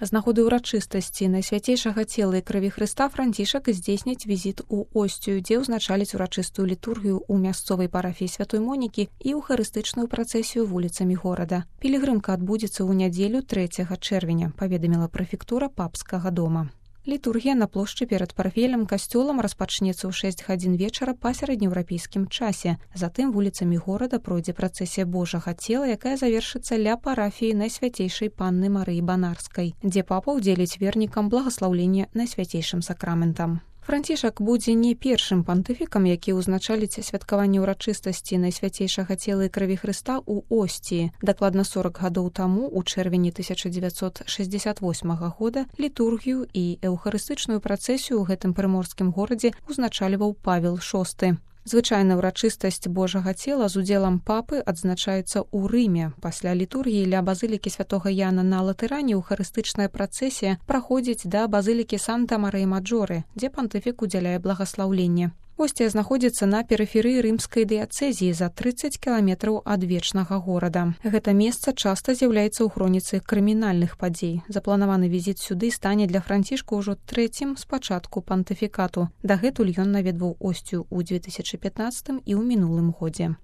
З нагоды ўрачыстасці Найсвяцейшага цела і крыві Хрыста Францішак здзейсніць візіт у Осцію, дзе ўзначаліць урачыстую літургію ў мясцовай парафіі Святой Монікі і эўхарыстычную працэсію вуліцамі горада. Пілігрымка адбудзецца ў нядзелю 3 чэрвеня, паведаміла прэфектура папскага дома. Літургія на плошчы перад парафіяльным касцёлам распачнецца ў 6 гадзін вечара па сярэднееўрапейскім часе. Затым вуліцамі горада пройдзе працэсія Божага цела, якая завершыцца ля парафіі Найсвяцейшай Панны Марыі Банарскай, дзе папа ўдзеліць вернікам благаслаўлення Найсвяцейшым сакраментам. Францішак будзе не першым пантыфікам, які ўзначаліць святкаванне ўрачыстасці Найсвяцейшага цела і крыві Хрыста ў Осціі. Дакладна 40 гадоў таму, у чэрвені 1968 года, літургію і эўхарыстычную працэсію ў гэтым прыморскім горадзе ўзначальваў Павел VI. Звычайна ўрачыстасць Божага цела з удзелам папы адзначаецца ў Рыме. Пасля літургіі ля базылікі святога Яна на Латэране эўхарыстычная працэсія праходзіць да базылікі Санта-Марыя-Маджоры, дзе пантыфік удзяляе благаслаўленне. Осція знаходзіцца на перыферыі рымскай дыяцэзіі за 30 кіламетраў ад вечнага горада. Гэта месца часта з'яўляецца ў хроніцы крымінальных падзей. Запланаваны візіт сюды стане для Францішка ўжо трэцім з пачатку пантыфікату. Дагэтуль ён наведваў Осцію ў 2015 і ў мінулым годзе.